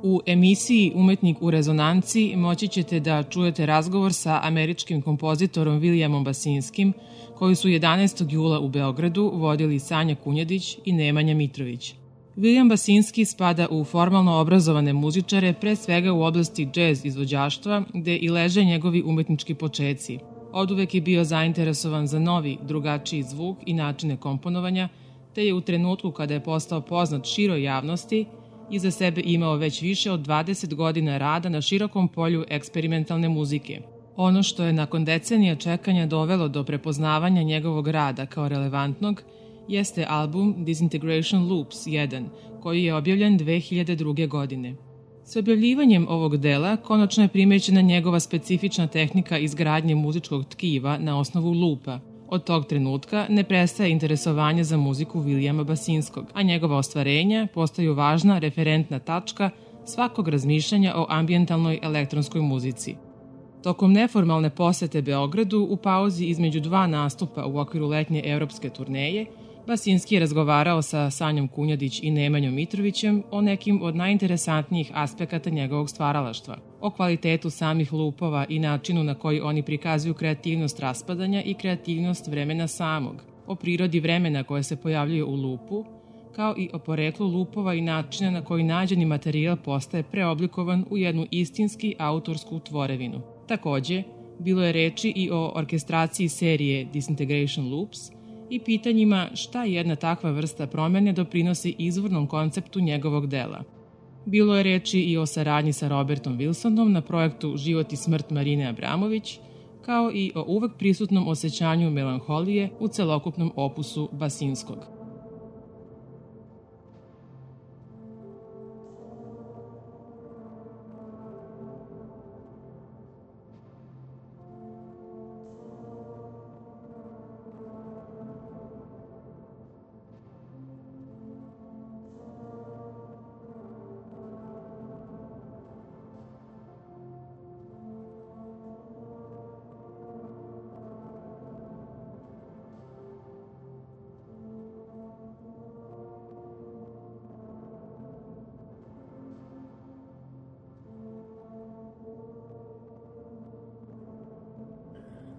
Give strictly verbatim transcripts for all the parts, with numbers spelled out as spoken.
U emisiji Umetnik u rezonanci moći ćete da čujete razgovor sa američkim kompozitorom Vilijamom Basinskim, koji su jedanaestog jula u Beogradu vodili Sanja Kunjadić i Nemanja Mitrović. Vilijam Basinski spada u formalno obrazovane muzičare, pre svega u oblasti džez izvođaštva, gde i leže njegovi umetnički počeci. Oduvek je bio zainteresovan za novi, drugačiji zvuk i načine komponovanja, te je u trenutku kada je postao poznat široj javnosti, iza sebe imao već više od dvadeset godina rada na širokom polju eksperimentalne muzike. Ono što je nakon decenija čekanja dovelo do prepoznavanja njegovog rada kao relevantnog jeste album Disintegration Loops jedan, koji je objavljen dve hiljade druge. godine. S objavljivanjem ovog dela konačno je primećena njegova specifična tehnika izgradnje muzičkog tkiva na osnovu lupa. Od tog trenutka ne prestaje interesovanje za muziku Vilijama Basinskog, a njegova ostvarenja postaju važna referentna tačka svakog razmišljanja o ambijentalnoj elektronskoj muzici. Tokom neformalne posete Beogradu, u pauzi između dva nastupa u okviru letnje evropske turneje, Basinski je razgovarao sa Sanjom Kunjadić i Nemanjom Mitrovićem o nekim od najinteresantnijih aspekata njegovog stvaralaštva, o kvalitetu samih lupova i načinu na koji oni prikazuju kreativnost raspadanja i kreativnost vremena samog, o prirodi vremena koje se pojavljuje u lupu, kao i o poreklu lupova i načina na koji nađeni materijal postaje preoblikovan u jednu istinski autorsku tvorevinu. Takođe, bilo je reči i o orkestraciji serije Disintegration Loops i pitanjima šta jedna takva vrsta promene doprinosi izvornom konceptu njegovog dela. Bilo je reči i o saradnji sa Robertom Wilsonom na projektu Život i smrt Marine Abramović, kao i o uvek prisutnom osjećanju melanholije u celokupnom opusu Basinskog.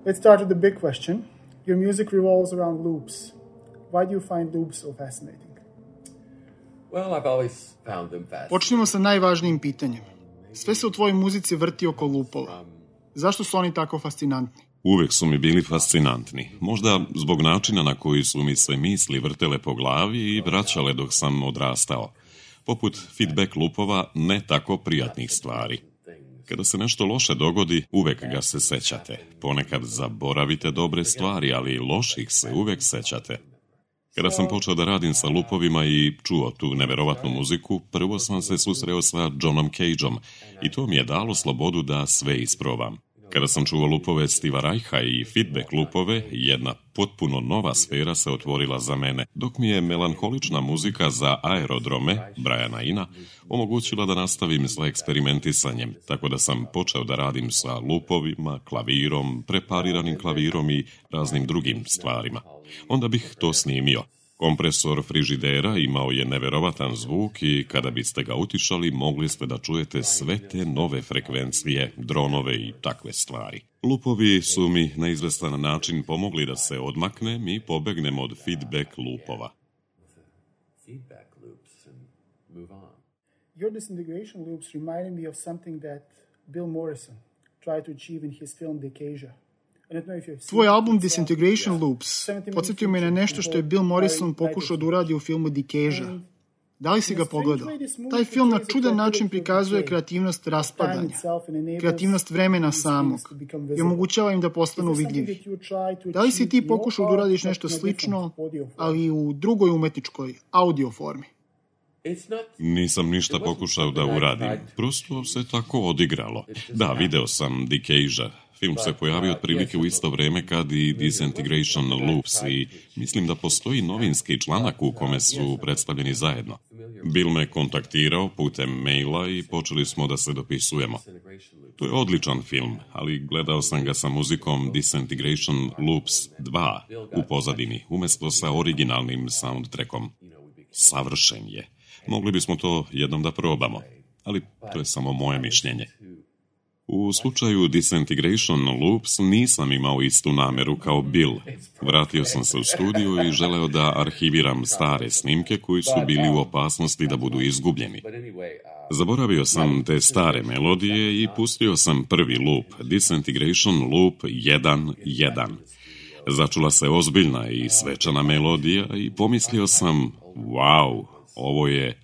Let's start with the big question. Your music revolves around loops. Why do you find loops so fascinating? Well, I've always found them fascinating. Počnimo sa najvažnijim pitanjem. Sve se u tvojoj muzici vrti oko lupova. Zašto su oni tako fascinantni? Uvek su mi bili fascinantni. Možda zbog načina na koji su mi se misli vrtele po glavi i vraćale dok sam odrastao. Poput feedback lupova ne tako prijatnih stvari. Kada se nešto loše dogodi, uvek ga se sećate. Ponekad zaboravite dobre stvari, ali loših se uvek sećate. Kada sam počeo da radim sa lupovima i čuo tu neverovatnu muziku, prvo sam se susreo sa Johnom Cageom i to mi je dalo slobodu da sve isprobam. Kada sam čuo lupove Steva Reicha i feedback lupove, jedna potpuno nova sfera se otvorila za mene, dok mi je melanholična muzika za aerodrome, Briana Ina, omogućila da nastavim sa eksperimentisanjem, tako da sam počeo da radim sa lupovima, klavirom, prepariranim klavirom i raznim drugim stvarima. Onda bih to snimio. Kompresor frižidera imao je neverovatan zvuk i kada biste ga utišali, mogli ste da čujete sve te nove frekvencije, dronove i takve stvari. Lupovi su mi na izvestan način pomogli da se odmaknem i pobegnem od feedback lupova. Your disintegration loops reminded me of something that Bill Morrison tried to achieve in his film Decasia. Tvoj album Disintegration Loops podsjetio me na nešto što je Bill Morrison pokušao da uradi u filmu Decasia. Da li si ga pogledao? Taj film na čudan način prikazuje kreativnost raspadanja, kreativnost vremena samog i omogućava im da postanu vidljivi. Da li si ti pokušao da uradiš nešto slično, ali u drugoj umetničkoj, audio formi? Nisam ništa pokušao da uradim, prosto se tako odigralo. Da, video sam Decasia. Film se pojavio otprilike u isto vreme kad i Disintegration Loops i mislim da postoji novinski članak u kome su predstavljeni zajedno. Bill me kontaktirao putem maila i počeli smo da se dopisujemo. To je odličan film, ali gledao sam ga sa muzikom Disintegration Loops dva u pozadini, umesto sa originalnim soundtrackom. Savršen je. Mogli bismo to jednom da probamo. ali to je samo moje mišljenje. U slučaju Disintegration Loops nisam imao istu nameru kao Bill. Vratio sam se u studiju i želeo da arhiviram stare snimke koji su bili u opasnosti da budu izgubljeni. Zaboravio sam te stare melodije i pustio sam prvi loop, Disintegration Loop jedan jedan. Začula se ozbiljna i svečana melodija i pomislio sam, wow, ovo je...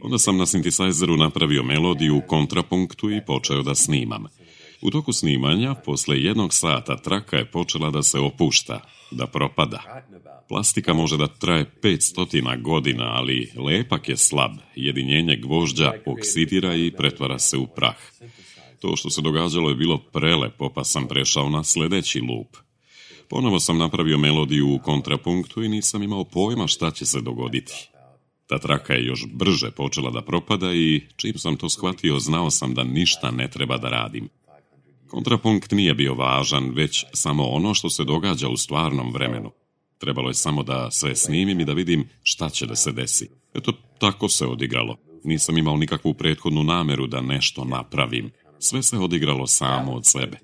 Onda sam na synthesizeru napravio melodiju u kontrapunktu i počeo da snimam. U toku snimanja, posle jednog sata, traka je počela da se opušta, da propada. Plastika može da traje petsto godina, ali lepak je slab, jedinjenje gvožđa oksidira i pretvara se u prah. To što se događalo je bilo prelepo, pa sam prešao na sledeći loop. Ponovo sam napravio melodiju u kontrapunktu i nisam imao pojma šta će se dogoditi. Ta traka je još brže počela da propada i čim sam to shvatio, znao sam da ništa ne treba da radim. Kontrapunkt nije bio važan, već samo ono što se događa u stvarnom vremenu. Trebalo je samo da sve snimim i da vidim šta će da se desi. Eto, tako se odigralo. Nisam imao nikakvu prethodnu nameru da nešto napravim. Sve se odigralo samo od sebe.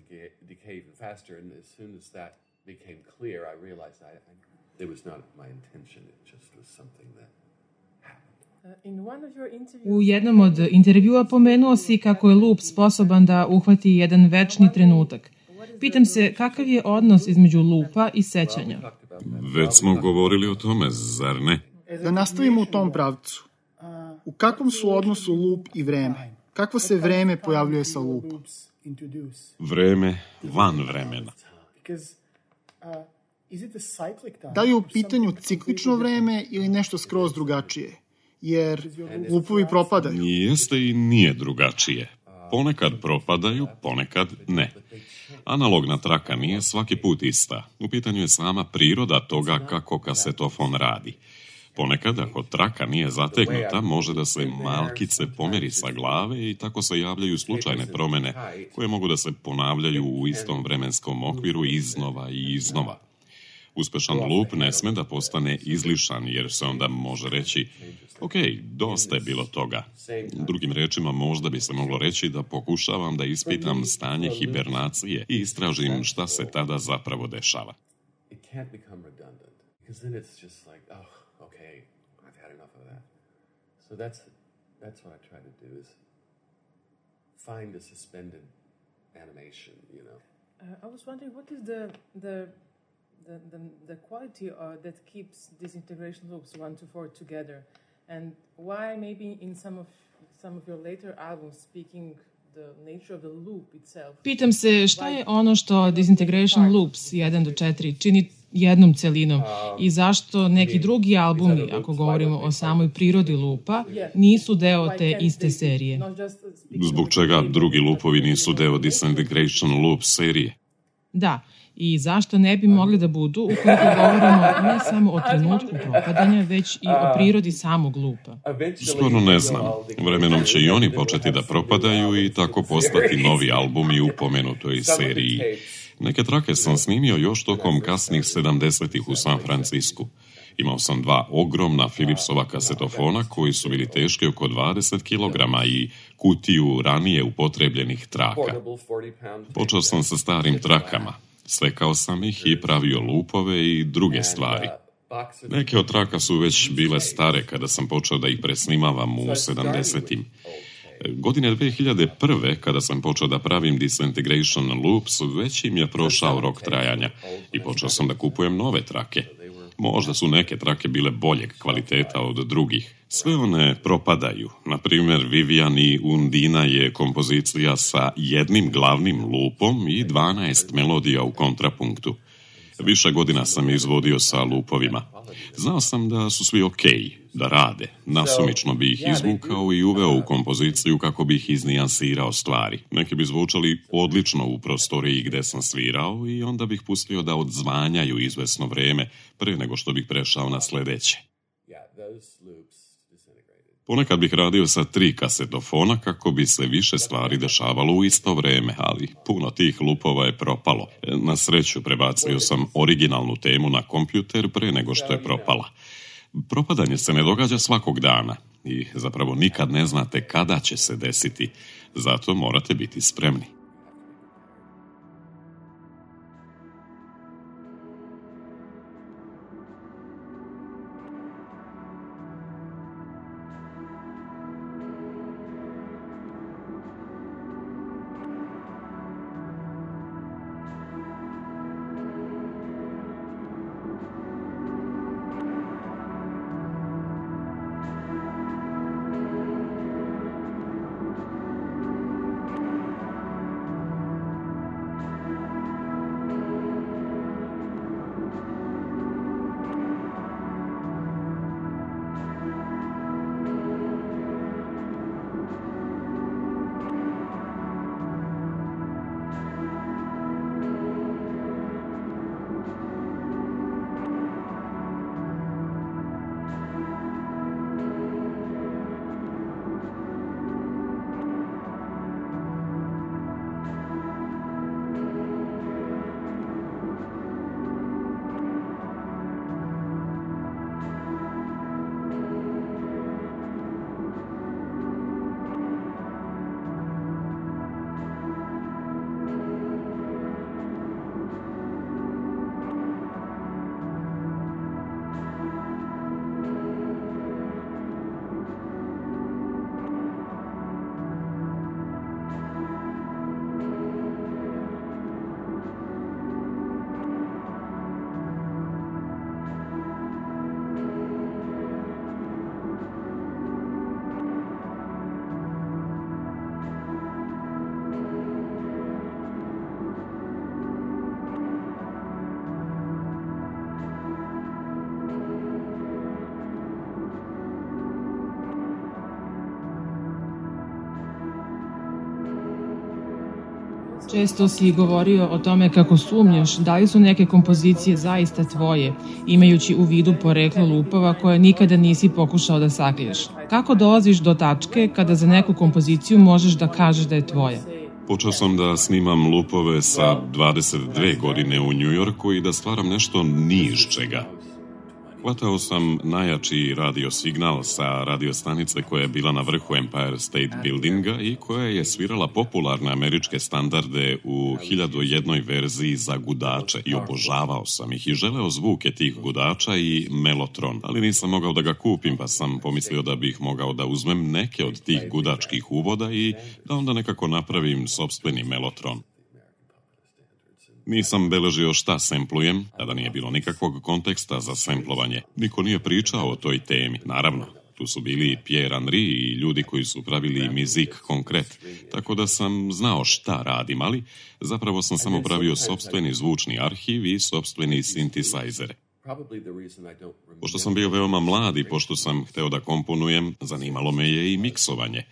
U jednom od intervjua pomenuo si kako je loop sposoban da uhvati jedan večni trenutak. Pitam se, kakav je odnos između loopa i sećanja? Već smo govorili o tome, zar ne? Da nastavimo u tom pravcu. U kakvom su odnosu loop i vreme? Kakvo se vreme pojavljuje sa loopom? Vreme van vremena. Da li je u pitanju ciklično vreme ili nešto skroz drugačije? Jer loopovi propadaju. Jeste i nije drugačije. Ponekad propadaju, ponekad ne. Analogna traka nije svaki put ista. U pitanju je sama priroda toga kako kasetofon radi. Ponekad, ako traka nije zategnuta, može da se malkice pomeri sa glave i tako se javljaju slučajne promene koje mogu da se ponavljaju u istom vremenskom okviru iznova i iznova. Uspešan loop ne sme da postane izlišan, jer se onda može reći, ok, dosta je bilo toga. Drugim rečima, možda bi se moglo reći da pokušavam da ispitam stanje hibernacije i istražim šta se tada zapravo dešava. I was wondering, what is the... the... The, the, the quality uh, that keeps disintegration loops one to four together, and why maybe in some of some of your later albums speaking the nature of the loop itself. Pitam se šta je ono što Disintegration Loops jedan do četiri čini jednom celinom i zašto neki drugi albumi, ako govorimo o samoj prirodi loopa, nisu deo te iste serije. Zbog čega drugi loopovi nisu deo Disintegration Loop serije? Da. I zašto ne bi mogli da budu ukoliko govorimo ne samo o trenutku propadanja, već i o prirodi samog lupa? Stvarno ne znam. Vremenom će i oni početi da propadaju i tako postati novi albumi u pomenutoj seriji. Neke trake sam snimio još tokom kasnih sedamdesetih u San Francisku. Imao sam dva ogromna Philipsova kasetofona koji su bili teški oko dvadeset kilograma i kutiju ranije upotrebljenih traka. Počeo sam sa starim trakama. Svekao sam ih i pravio lupove i druge stvari. Neke od traka su već bile stare kada sam počeo da ih presnimavam u sedamdesetim. Godine dve hiljade prve, kada sam počeo da pravim Disintegration Loops, već im je prošao rok trajanja i počeo sam da kupujem nove trake. Možda su neke trake bile boljeg kvaliteta od drugih. Sve one propadaju. Na primjer, Vivian i Undina je kompozicija sa jednim glavnim lupom i dvanaest melodija u kontrapunktu. Više godina sam izvodio sa lupovima. Znao sam da su svi okej, da rade. Nasumično bi ih izvukao i uveo u kompoziciju kako bi ih iznijansirao stvari. Neki bi zvučali odlično u prostoriji gde sam svirao i onda bih pustio da odzvanjaju izvesno vreme pre nego što bih prešao na sledeće. Ponekad bih radio sa tri kasetofona kako bi se više stvari dešavalo u isto vreme, ali puno tih lupova je propalo. Na sreću prebacio sam originalnu temu na kompjuter pre nego što je propala. Propadanje se ne događa svakog dana i zapravo nikad ne znate kada će se desiti, zato morate biti spremni. Često si govorio o tome kako sumnjaš da li su neke kompozicije zaista tvoje, imajući u vidu poreklo lupova koje nikada nisi pokušao da sakriješ. Kako dolaziš do tačke kada za neku kompoziciju možeš da kažeš da je tvoja? Počeo sam da snimam lupove sa dvadeset dve godine u Njujorku i da stvaram nešto ni iz čega. Hvatao sam najjači radio signal sa radio stanice koja je bila na vrhu Empire State Buildinga i koja je svirala popularne američke standarde u hiljadu jednoj verziji za gudače i obožavao sam ih i želeo zvuke tih gudača i melotron, ali nisam mogao da ga kupim pa sam pomislio da bih mogao da uzmem neke od tih gudačkih uvoda i da onda nekako napravim sopstveni melotron. Nisam beležio šta semplujem, tada nije bilo nikakvog konteksta za semplovanje. Niko nije pričao o toj temi, naravno. Tu su bili Pierre Henry i ljudi koji su pravili Musique Concrète, tako da sam znao šta radim, ali zapravo sam samo pravio sopstveni zvučni arhiv i sopstveni sintisajzere. Pošto sam bio veoma mlad i pošto sam hteo da komponujem, zanimalo me je i miksovanje.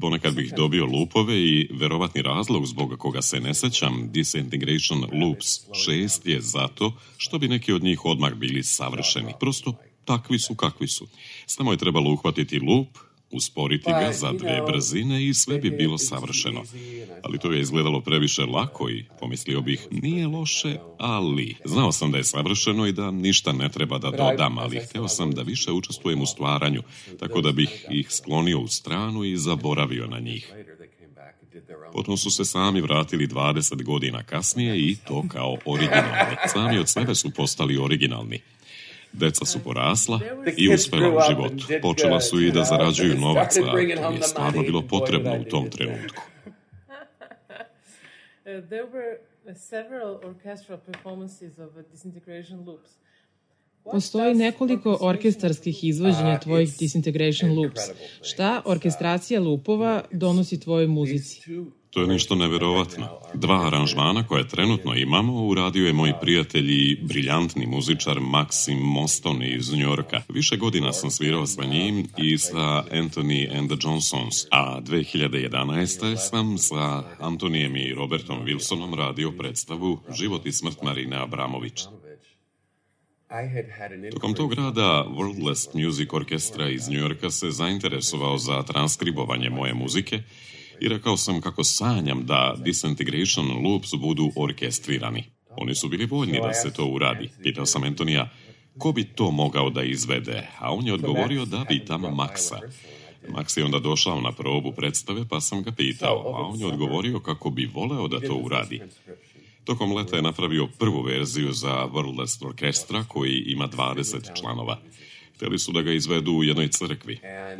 Ponekad bih dobio lupove i verovatni razlog zbog koga se ne sećam Disintegration Loops šest je zato što bi neki od njih odmah bili savršeni. Prosto takvi su kakvi su. Samo je trebalo uhvatiti lup, usporiti ga za dve brzine i sve bi bilo savršeno. Ali to je izgledalo previše lako i pomislio bih nije loše, ali znao sam da je savršeno i da ništa ne treba da dodam, ali hteo sam da više učestvujem u stvaranju, tako da bih ih sklonio u stranu i zaboravio na njih. Potom su se sami vratili dvadeset godina kasnije i to kao originalni. Sami od sebe su postali originalni. Deca su porasla i uspela u životu. Počela su i da zarađuju novac, a to je stvarno bilo potrebno u tom trenutku. There were several orchestral performances of Disintegration Loops. Postoji nekoliko orkestarskih izvođenja tvojih Disintegration Loops. Šta orkestracija lupova donosi tvojoj muzici? To je nešto neverovatno. Dva aranžmana koje trenutno imamo uradio je moj prijatelj i briljantni muzičar Maxim Moston iz Njujorka. Više godina sam svirao sa njim i sa Anthony and the Johnsons, a dve hiljade jedanaeste. sam sa Antonijem i Robertom Wilsonom radio predstavu Život i smrt Marine Abramović. Tokom tog rada Worldless Music Orchestra iz Njujorka se zainteresovao za transkribovanje moje muzike i rekao sam kako sanjam da Disintegration Loops budu orkestrirani. Oni su bili voljni da se to uradi. Pitao sam Antonija, ko bi to mogao da izvede, a on je odgovorio da pitam Maxa. Max je onda došao na probu predstave, pa sam ga pitao, a on je odgovorio kako bi voleo da to uradi. Tokom leta je napravio prvu verziju za Wordless Orkestra, koji ima dvadeset članova. Hteli su da ga izvedu u jednoj crkvi.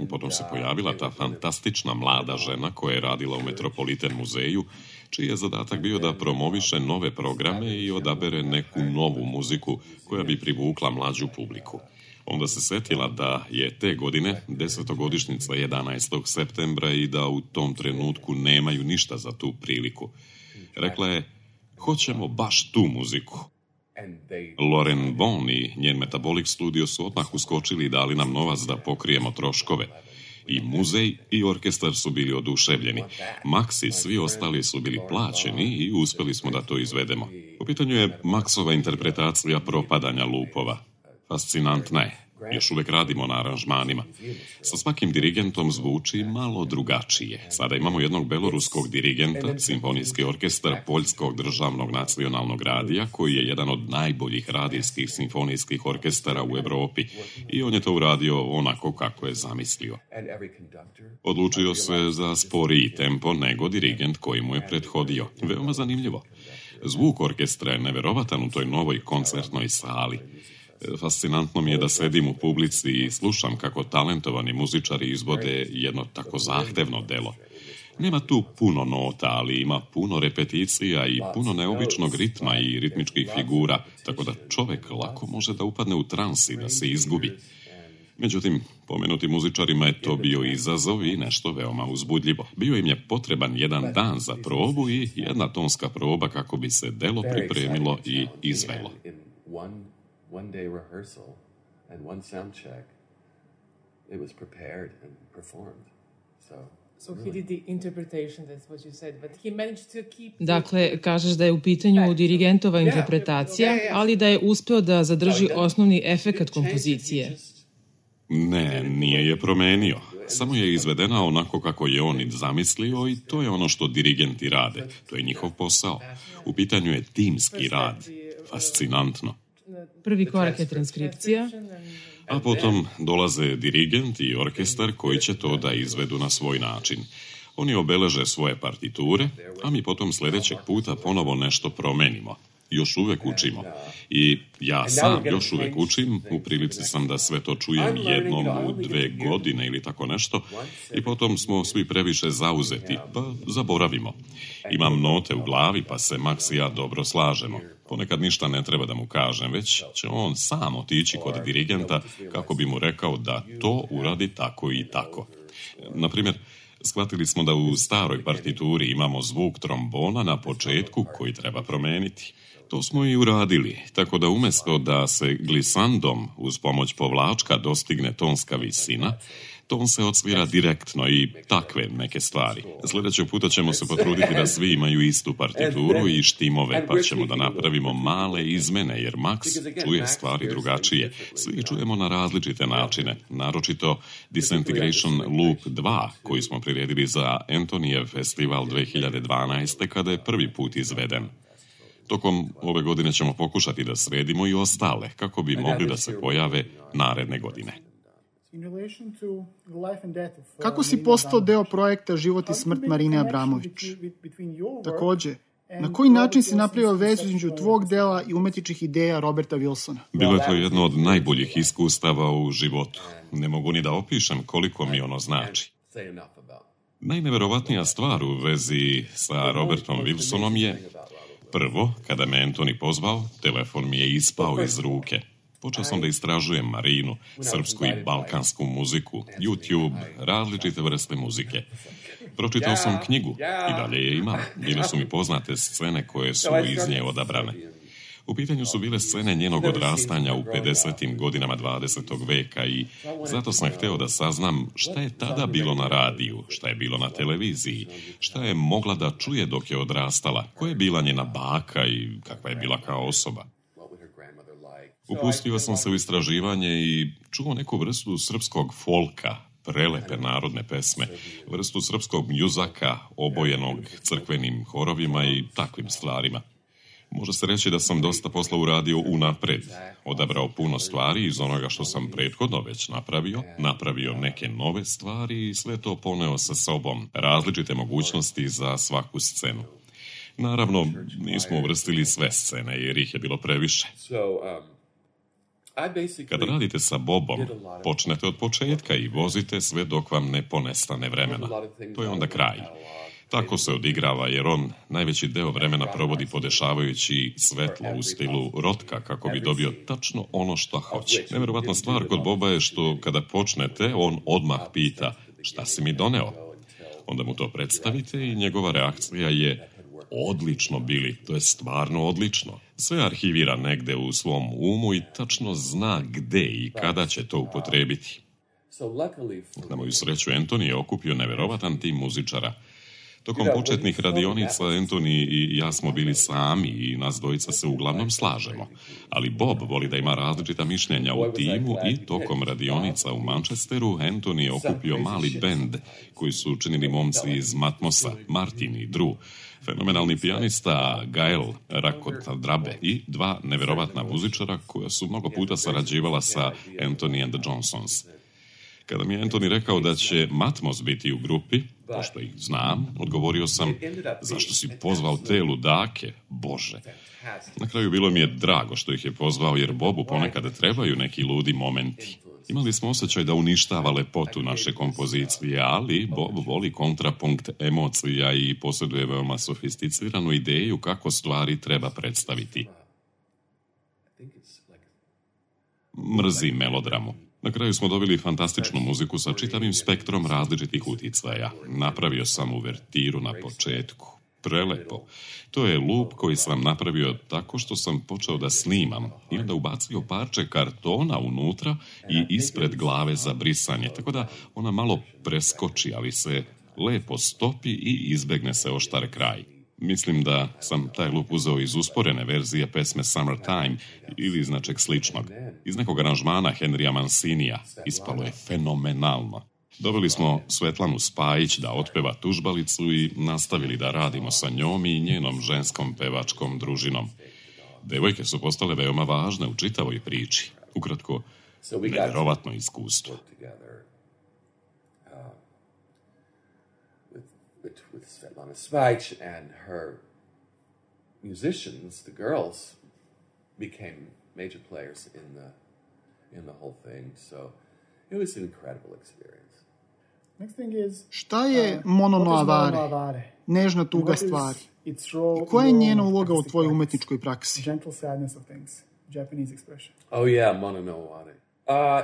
Potom se pojavila ta fantastična mlada žena koja je radila u Metropolitan muzeju, čiji je zadatak bio da promoviše nove programe i odabere neku novu muziku koja bi privukla mlađu publiku. Onda se setila da je te godine desetogodišnjica jedanaestog septembra i da u tom trenutku nemaju ništa za tu priliku. Rekla je, hoćemo baš tu muziku. Lauren Bon i njen Metabolic Studio su odmah uskočili i dali nam novac da pokrijemo troškove. I muzej i orkestar su bili oduševljeni. Max i svi ostali su bili plaćeni i uspeli smo da to izvedemo. U pitanju je Maxova interpretacija propadanja lupova. Fascinantna je. Još uvek radimo na aranžmanima. Sa svakim dirigentom zvuči malo drugačije. Sada imamo jednog beloruskog dirigenta, simfonijski orkestar Poljskog državnog nacionalnog radija, koji je jedan od najboljih radijskih simfonijskih orkestara u Evropi. I on je to uradio onako kako je zamislio. Odlučio se za sporiji tempo nego dirigent koji mu je prethodio. Veoma zanimljivo. Zvuk orkestra je neverovatan u toj novoj koncertnoj sali. Fascinantno mi je da sedim u publici i slušam kako talentovani muzičari izvode jedno tako zahtevno delo. Nema tu puno nota, ali ima puno repeticija i puno neobičnog ritma i ritmičkih figura, tako da čovek lako može da upadne u trans i da se izgubi. Međutim, pomenuti muzičarima je to bio izazov i nešto veoma uzbudljivo. Bio im je potreban jedan dan za probu i jedna tonska proba kako bi se delo pripremilo i izvelo. One day rehearsal and one sound check, it was prepared and performed. So, so he did the interpretation, that's what you said, but he managed to keep... Dakle, kažeš da je u pitanju dirigentova interpretacija, ali da je uspeo da zadrži osnovni efekat kompozicije. Ne, nije je promenio. Samo je izvedena onako kako je on zamislio i to je ono što dirigenti rade. To je njihov posao. U pitanju je timski rad. Fascinantno. Prvi korak je transkripcija. A potom dolaze dirigent i orkestar koji će to da izvedu na svoj način. Oni obeleže svoje partiture, a mi potom sljedećeg puta ponovo nešto promenimo. Još uvek učimo. I ja sam još uvek učim, u prilici sam da sve to čujem jednom u dve godine ili tako nešto, i potom smo svi previše zauzeti, pa zaboravimo. Imam note u glavi, pa se Max i ja dobro slažemo. Ponekad ništa ne treba da mu kažem, već će on sam otići kod dirigenta kako bi mu rekao da to uradi tako i tako. Naprimjer, shvatili smo da u staroj partituri imamo zvuk trombona na početku koji treba promeniti. To smo i uradili, tako da umjesto da se glisandom uz pomoć povlačka dostigne tonska visina, ton se odsvira direktno i takve neke stvari. Sljedećeg puta ćemo se potruditi da svi imaju istu partituru i štimove, pa ćemo da napravimo male izmene, jer Max čuje stvari drugačije. Svi čujemo na različite načine, naročito Disintegration Loop dva, koji smo priredili za Antonijev festival dve hiljade dvanaeste. kada je prvi put izveden. Tokom ove godine ćemo pokušati da sredimo i ostale, kako bi mogli da se pojave naredne godine. Kako si postao deo projekta Život i smrt Marine Abramović? Takođe, na koji način si napravio vezu između tvog dela i umetničkih ideja Roberta Wilsona? Bilo je to jedno od najboljih iskustava u životu. Ne mogu ni da opišem koliko mi ono znači. Najneverovatnija stvar u vezi sa Robertom Wilsonom je: prvo, kada me Antoni pozvao, telefon mi je ispao iz ruke. Počeo sam da istražujem Marinu, srpsku i balkansku muziku, YouTube, različite vrste muzike. Pročitao sam knjigu i dalje je imam. Bile su mi poznate scene koje su iz nje odabrane. U pitanju su bile scene njenog odrastanja u pedesetim godinama dvadesetog veka i zato sam hteo da saznam šta je tada bilo na radiju, šta je bilo na televiziji, šta je mogla da čuje dok je odrastala, koja je bila njena baka i kakva je bila kao osoba. Upustio sam se u istraživanje i čuo neku vrstu srpskog folka, prelepe narodne pesme, vrstu srpskog mjuzaka, obojenog crkvenim horovima i takvim stvarima. Može se reći da sam dosta posla uradio unapred, odabrao puno stvari iz onoga što sam prethodno već napravio, napravio neke nove stvari i sve to poneo sa sobom, različite mogućnosti za svaku scenu. Naravno, nismo uvrstili sve scene jer ih je bilo previše. Kada radite sa Bobom, počnete od početka i vozite sve dok vam ne ponestane vremena. To je onda kraj. Tako se odigrava jer on najveći deo vremena provodi podešavajući svetlo u stilu rotka kako bi dobio tačno ono što hoće. Nevjerovatna stvar kod Boba je što kada počnete, on odmah pita šta si mi doneo. Onda mu to predstavite i njegova reakcija je odlično Billy, to je stvarno odlično. Sve arhivira negde u svom umu i tačno zna gde i kada će to upotrebiti. Na moju sreću, Anthony je okupio neverovatan tim muzičara. Tokom početnih radionica Anthony i ja smo bili sami i nas dvojica se uglavnom slažemo. Ali Bob voli da ima različita mišljenja u timu i tokom radionica u Manchesteru Anthony je okupio mali bend koji su učinili momci iz Matmosa, Martin i Drew, fenomenalni pijanista Gael Rakotadrabe i dva neverovatna muzičara koja su mnogo puta sarađivala sa Anthony and the Johnsons. Kada mi je Anthony rekao da će Matmos biti u grupi, pošto ih znam, odgovorio sam, zašto si pozvao te ludake, Bože. Na kraju bilo mi je drago što ih je pozvao, jer Bobu ponekad trebaju neki ludi momenti. Imali smo osjećaj da uništava lepotu naše kompozicije, ali Bob voli kontrapunkt emocija i posjeduje veoma sofisticiranu ideju kako stvari treba predstaviti. Mrzi melodramu. Na kraju smo dobili fantastičnu muziku sa čitavim spektrom različitih uticaja. Napravio sam uvertiru na početku. Prelepo. To je lup koji sam napravio tako što sam počeo da snimam i onda ubacio parče kartona unutra i ispred glave za brisanje, tako da ona malo preskoči, ali se lepo stopi i izbegne se oštar kraj. Mislim da sam taj lup uzeo iz usporene verzije pesme Summertime ili iz nečeg sličnog. Iz nekog aranžmana Henrya Mancinija. Ispalo je fenomenalno. Doveli smo Svetlanu Spajić da otpeva tužbalicu i nastavili da radimo sa njom i njenom ženskom pevačkom družinom. Devojke su postale veoma važne u čitavoj priči. Ukratko, nevjerovatno iskustvo. With, with Svetlana Spajić and her musicians, the girls, became major players in the in the whole thing. So it was an incredible experience. Next thing is, šta je mono no avare? Nežna tuga stvari. I koja je njena uloga u tvojoj umetničkoj praksi? Gentle sadness of things, Japanese expression. Oh yeah, mono no avare. Uh,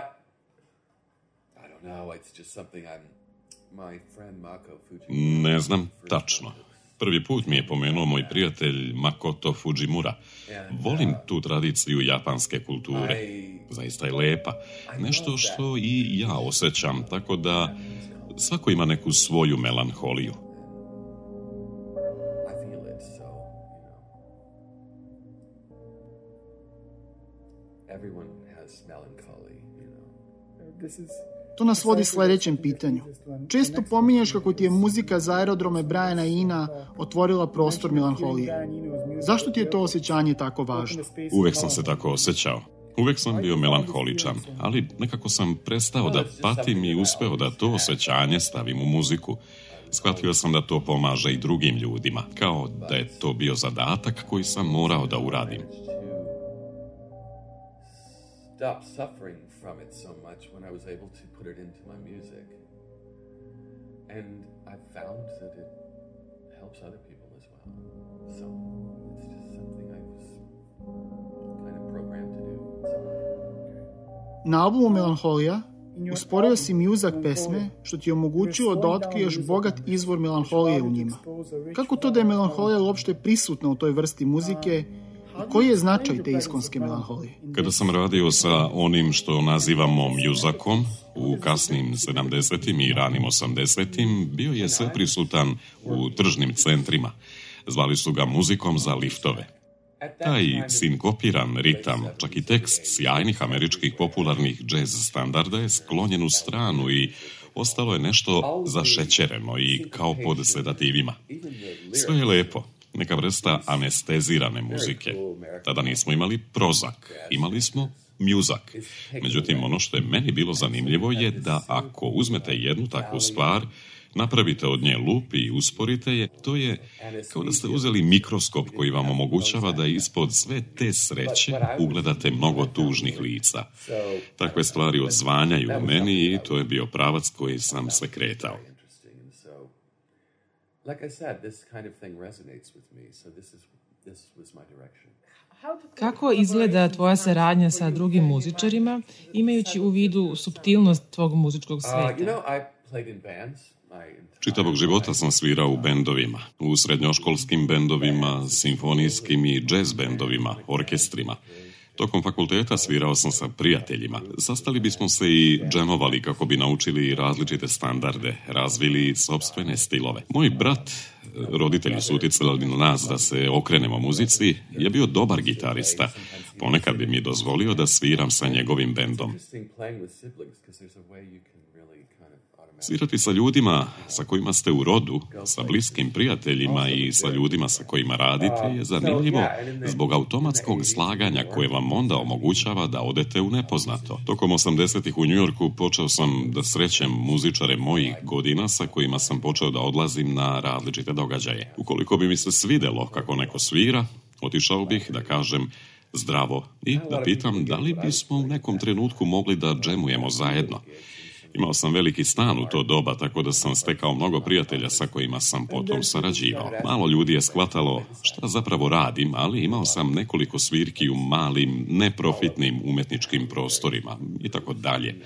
I don't know. It's just something I'm. Ne znam tačno. Prvi put mi je pomenuo moj prijatelj Makoto Fujimura. Volim tu tradiciju japanske kulture. Zaista je lepa. Nešto što i ja osjećam, tako da svako ima neku svoju melanholiju. To nas vodi sljedećem pitanju. Često pominješ kako ti je muzika za aerodrome Briana Ina otvorila prostor melanholije. Zašto ti je to osjećanje tako važno? Uvek sam se tako osjećao. Uvek sam bio melanholičan, ali nekako sam prestao da patim i uspeo da to osjećanje stavim u muziku. Shvatio sam da to pomaže i drugim ljudima, kao da je to bio zadatak koji sam morao da uradim. Stop suffering from it so much when I was able to put it into my music. And I found that it helps other people as well. So it's just something I was kind of programmed to do. Na albumu Melanholija usporio si mi uzak pesme, što ti je omogućilo da otkriješ bogat izvor melanholije u njima. Kako to da je melanholija uopšte prisutna u toj vrsti muzike? Koji je značaj te iskonske melanholije? Kada sam radio sa onim što nazivamo mjuzakom u kasnim sedamdesetim i ranim osamdesetim, bio je sve prisutan u tržnim centrima. Zvali su ga muzikom za liftove. Taj sinkopiran ritam, čak i tekst sjajnih američkih popularnih džez standarda je sklonjen u stranu i ostalo je nešto zašećereno i kao pod sedativima. Sve je lepo. neka vrsta anestezirane muzike. Tada nismo imali prozak, imali smo mjuzak. Međutim, ono što je meni bilo zanimljivo je da ako uzmete jednu takvu stvar, napravite od nje lup i usporite je, to je kao da ste uzeli mikroskop koji vam omogućava da ispod sve te sreće ugledate mnogo tužnih lica. Takve stvari odzvanjaju u meni i to je bio pravac koji sam sve kretao. Kako izgleda tvoja saradnja sa drugim muzičarima, imajući u vidu suptilnost tvog muzičkog sveta? Čitavog života sam svirao u bendovima, u srednjoškolskim bendovima, simfonijskim i džez bendovima, orkestrima. Tokom fakulteta svirao sam sa prijateljima. Sastali bismo se i džemovali kako bi naučili različite standarde, razvili sopstvene stilove. Moj brat, roditelji su utjecali na nas da se okrenemo muzici, je bio dobar gitarista. Ponekad bi mi dozvolio da sviram sa njegovim bendom. Svirati sa ljudima sa kojima ste u rodu, sa bliskim prijateljima i sa ljudima sa kojima radite je zanimljivo zbog automatskog slaganja koje vam onda omogućava da odete u nepoznato. Tokom osamdesetih u Njujorku počeo sam da srećem muzičare mojih godina sa kojima sam počeo da odlazim na različite događaje. Ukoliko bi mi se svidelo kako neko svira, otišao bih da kažem zdravo i da pitam da li bismo u nekom trenutku mogli da džemujemo zajedno. Imao sam veliki stan u to doba, tako da sam stekao mnogo prijatelja sa kojima sam potom sarađivao. Malo ljudi je shvatalo šta zapravo radim, ali imao sam nekoliko svirki u malim, neprofitnim umetničkim prostorima i tako dalje.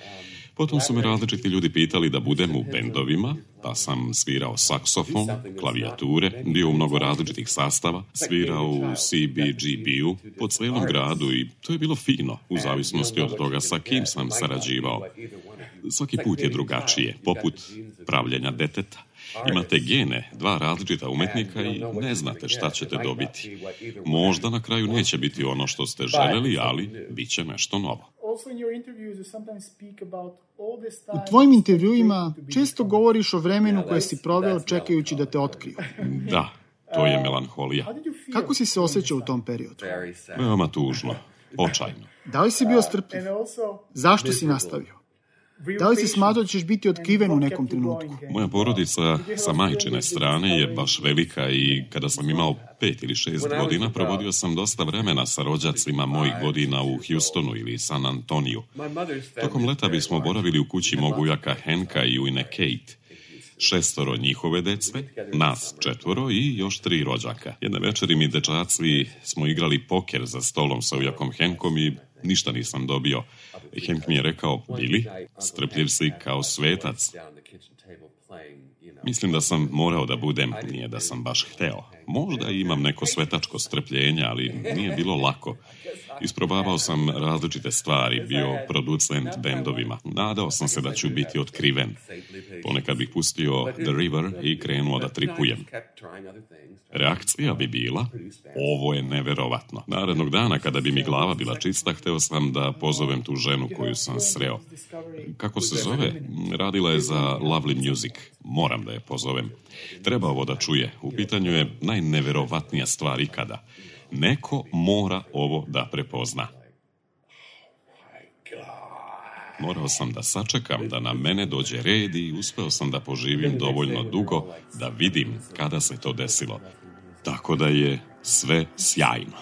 Potom su me različiti ljudi pitali da budem u bendovima, pa sam svirao saksofon, klavijature, bio u mnogo različitih sastava, svirao u C B G B-u po cijelom gradu i to je bilo fino, u zavisnosti od toga sa kim sam sarađivao. Svaki put je drugačije, poput pravljenja deteta. Imate gene, dva različita umetnika i ne znate šta ćete dobiti. Možda na kraju neće biti ono što ste željeli, ali bit će nešto novo. U tvojim intervjuima često govoriš o vremenu koje si proveo čekajući da te otkriju. Da, to je melanholija. Kako si se osjećao u tom periodu? Veoma tužno, očajno. Da li si bio strpljiv? Zašto si nastavio? Da li si smatrao da ćeš biti otkriven u nekom trenutku? Moja porodica sa majčine strane je baš velika i kada sam imao pet ili šest godina, provodio sam dosta vremena sa rođacima mojih godina u Houstonu ili San Antoniju. Tokom leta bismo boravili u kući mog ujaka Henka i ujne Kate. Šestoro njihove dece, nas četvoro i još tri rođaka. Jedne večeri mi dečaci smo igrali poker za stolom sa ujakom Henkom i ništa nisam dobio. Henk mi je rekao, Billy, strpljiv si kao svetac. Mislim da sam morao da budem, nije da sam baš hteo. Možda imam neko svetačko strpljenje, ali nije bilo lako. Isprobavao sam različite stvari, bio producent bendovima. Nadao sam se da ću biti otkriven. Ponekad bih pustio The River i krenuo da tripujem. Reakcija bi bila, ovo je neverovatno. Narednog dana, kada bi mi glava bila čista, hteo sam da pozovem tu ženu koju sam sreo. Kako se zove? Radila je za Lovely Music. Moram da je pozovem. Treba ovo da čuje. U pitanju je najneverovatnija stvar ikada. Neko mora ovo da prepozna. Morao sam da sačekam da na mene dođe red i uspeo sam da poživim dovoljno dugo da vidim kada se to desilo. Tako da je sve sjajno.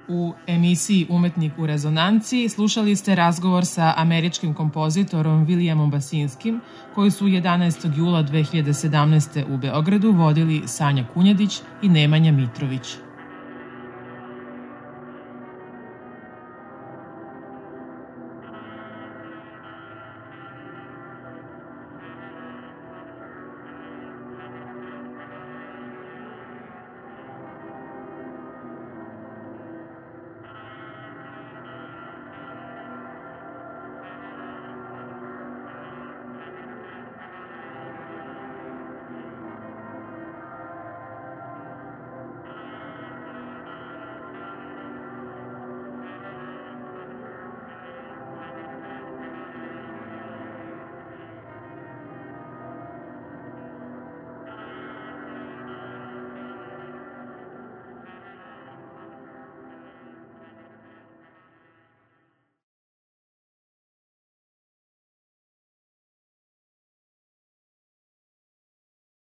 U emisiji Umetnik u rezonanciji slušali ste razgovor sa američkim kompozitorom Williamom Basinskim, koji su jedanaestog jula dve hiljade sedamnaeste. u Beogradu vodili Sanja Kunjadić i Nemanja Mitrović.